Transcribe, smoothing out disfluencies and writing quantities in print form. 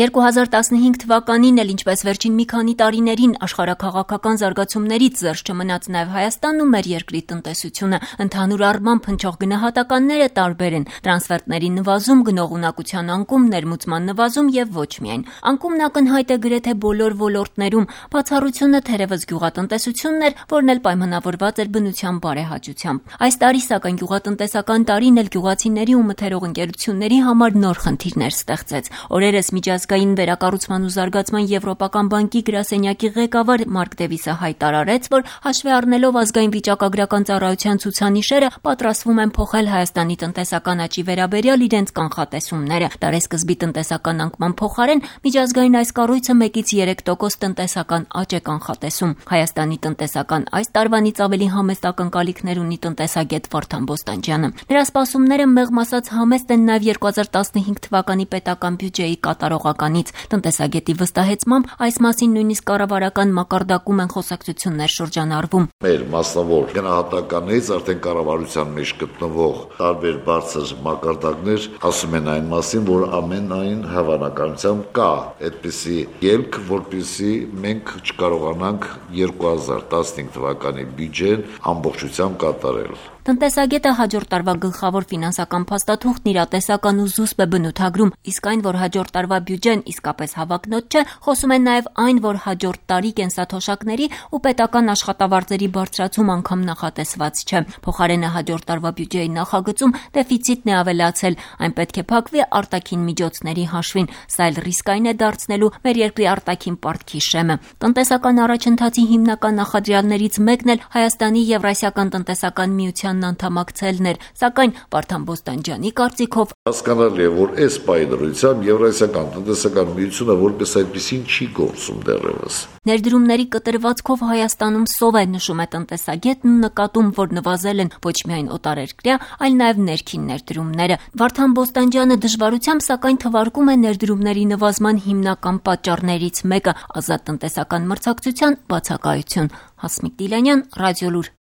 2015 թվականին էլ ինչպես վերջին մի քանի տարիներին աշխարհաքաղաքական զարգացումներից զերծ չմնաց նաև Հայաստանն ու մեր երկրի տնտեսությունը։ Ընդհանուր առմամբ հնչող գնահատականները տարբեր են՝ տրանսֆերտների նվազում, գնողունակության անկում, ներմուծման նվազում եւ ոչ միայն։ Անկումն ակնհայտ է գրեթե բոլոր ոլորտներում։ Բացառությունը թերևս գյուղատնտեսությունն էր, որն էլ պայմանավորված էր բնության բարեհաճությամբ։ Այս տարի սակայն գյուղատնտեսական տարին էլ գյուղացիների ու մթերող ընկերությունների համար նոր խնդիրներ ստեղծեց։ Օրերս միջազգային վերակառուցման ու զարգացման Եվրոպական բանկի գրասենյակի ղեկավար Մարկ Դևիսը հայտարարեց, որ հաշվի առնելով ազգային վիճակագրական ծառայության ցուցանիշերը, պատրաստվում են փոխել Հայաստանի տնտեսական աճի վերաբերյալ իրենց կանխատեսումները։ Տարեսկզբի տնտեսական անկման փոխարեն միջազգային այս կառույցը 1-ից 3% տնտեսական աճ է կանխատեսում։ Հայաստանի տնտեսական այս տարվանից ավելի համեստ ակնկալիքներ ունի տնտեսագետ Վարդան Բոստանջյանը։ Նրա սպասումները մեղմ ասած համեստ են նաև 2015 թվականի պետական բյուջեի կատարողականից։ Տնտեսագետի վստահեցմամբ այս մասին նույնիսկ կառավարական մակարդակում են խոսակցություններ շրջանառվում։ Մեր մասնավոր գնահատականներից արդեն կառավարության մեջ գտնվող տարբեր բարձր մակարդակներ ասում են այն մասին, որ ամենայն հավանականությամբ կա այդպիսի ելք, որպեսզի մենք չկարողանանք 2015 թվականի բյուջեն ամբողջությամբ կատարել։ Տնտեսագետը հաջորդ տարվա գլխավոր ֆինանսական փաստաթուղթն իրատեսական ու զուսպ է բնութագրում, իսկ այն, որ հաջորդ տարվա բյուջեն իսկապես հավակնոտ չէ, խոսում են նաև այն, որ հաջորդ տարի կենսաթոշակների ու պետական աշխատավարձերի բարձրացում անգամ նախատեսված չէ։ Փոխարենը հաջորդ տարվա բյուջեի նախագծում դեֆիցիտն է ավելացել, այն պետք է փակվի արտաքին միջոցների հաշվին, սա էլ ռիսկային է դարձնելու մեր երկրի արտաքին պարտքի շեմը։ Տնտեսական առաջընթացի հիմնական նախադրյալներից մեկն էլ Հայաստանի Եվրասիական տնտեսական միության անդամակցելն էր, սակայն Վարդան Բոստանջյանի կարծիքով հասկանալի է, որ այս պայմանությամբ Եվրասիական տնտեսական միությունը որպես այդպեսին չի գործում դեռևս։ Ներդրումների կտրվածքով Հայաստանում սով է, նշում է տնտեսագետն ու նկատում, որ նվազել են ոչ միայն օտարերկրյա, այլ նաև ներքին ներդրումները։ Վարդան Բոստանջյանը դժվարությամբ սակայն թվարկում է ներդրումների նվազման հիմնական պատճառներից մեկը՝ ազատ տնտեսական մրցակցության բացակայություն։ Հասմիկ Դիլանյան, Ռադիոլուր։